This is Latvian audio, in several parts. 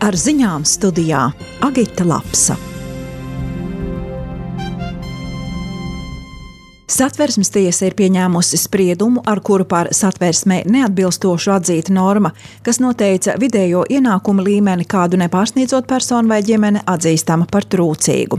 Ar ziņām studijā Agita Lapsa. Satversmes tiesa ir pieņēmusi spriedumu, ar kuru par satversmē neatbilstošu atzīta norma, kas noteica vidējo ienākumu līmeni, kādu nepārsniedzot personu vai ģimene atzīstama par trūcīgu.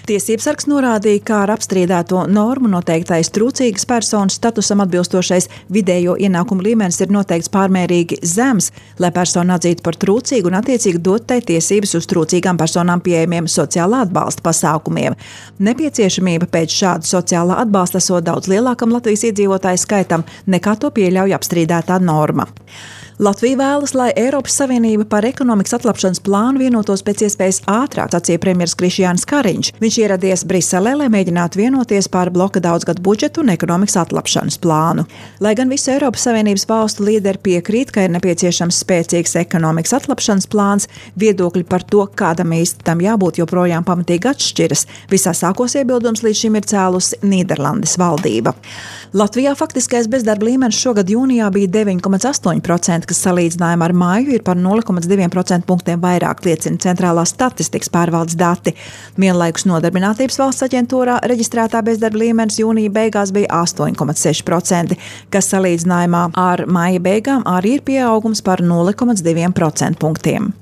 Tiesībsargs norādīja, ka ar apstrīdēto normu noteiktais trūcīgas personas statusam atbilstošais vidējo ienākumu līmenis ir noteikts pārmērīgi zems, lai personu atzītu par trūcīgu un attiecīgi dot tai tiesības uz trūcīgām personām pieejamiem sociālā atbalsta pasākumiem. Nepieciešamība pēc šāda sociālā atbalsta esot daudz lielākam Latvijas iedzīvotāju skaitam, nekā to pieļauj apstrīdētā norma. Latvija vēlas, lai Eiropas Savienība par ekonomikas atlapšanas plānu vienotos pēc iespējas ātrāk, sacīja premjeras Krišjānis Kariņš. Viņš ieradies Briselē, lai mēģinātu vienoties par bloka daudzgadu budžetu un ekonomikas atlapšanas plānu. Lai gan visu Eiropas Savienības valstu līderi piekrīt, ka ir nepieciešams spēcīgs ekonomikas atlapšanas plāns, viedokļi par to, kādam īsti tam jābūt, joprojām pamatīgi atšķiras. Visā sākos iebildums līdz šim ir cēlusi Nīderlandes valdība. Latvijā faktiskais bezdarba līmenis šogad jūnijā bija 9,8%, kas salīdzinājumā ar māju ir par 0,2% punktiem vairāk, liecina Centrālās statistikas pārvaldes dati. Vienlaikus Nodarbinātības valsts aģentūrā reģistrētā bezdarba līmenis jūnija beigās bija 8,6%, kas salīdzinājumā ar māja beigām arī ir pieaugums par 0,2% punktiem.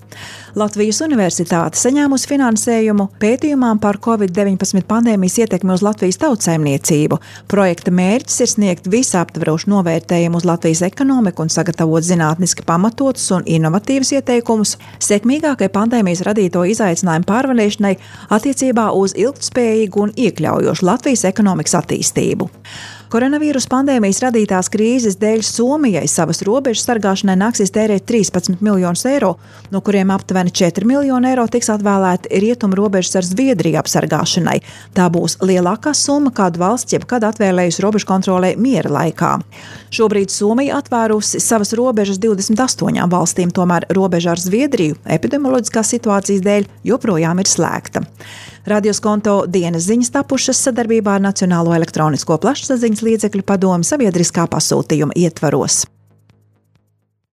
Latvijas Universitāte saņēmusi finansējumu pētījumām par Covid-19 pandēmijas ietekmi uz Latvijas tautsaimniecību. Projekta mērķis ir sniegt visaptverošu novērtējumu uz Latvijas ekonomiku un sagatavot zinātniski pamatotus un inovatīvus ieteikumus sekmīgākai pandēmijas radīto izaicinājumu pārvarēšanai attiecībā uz ilgtspējīgu un iekļaujošu Latvijas ekonomikas attīstību. Koronavīrus pandēmijas radītās krīzes dēļ Somijai savas robežas sargāšanai nāksies tērēt 13 miljonus eiro, no kuriem aptuveni 4 miljoni eiro tiks atvēlēti rietumu robežas ar Zviedriju apsargāšanai. Tā būs lielākā summa, kādu valsts jebkad atvēlējusi robežu kontrolē miera laikā. Šobrīd Somija atvērusi savas robežas 28 valstīm, tomēr robeža ar Zviedriju epidemioloģiskās situācijas dēļ joprojām ir slēgta. Radioskonto dienas ziņas tapušas sadarbībā ar Nacionālo elektronisko plašsaziņas līdzekļu padomi sabiedriskā pasūtījuma ietvaros.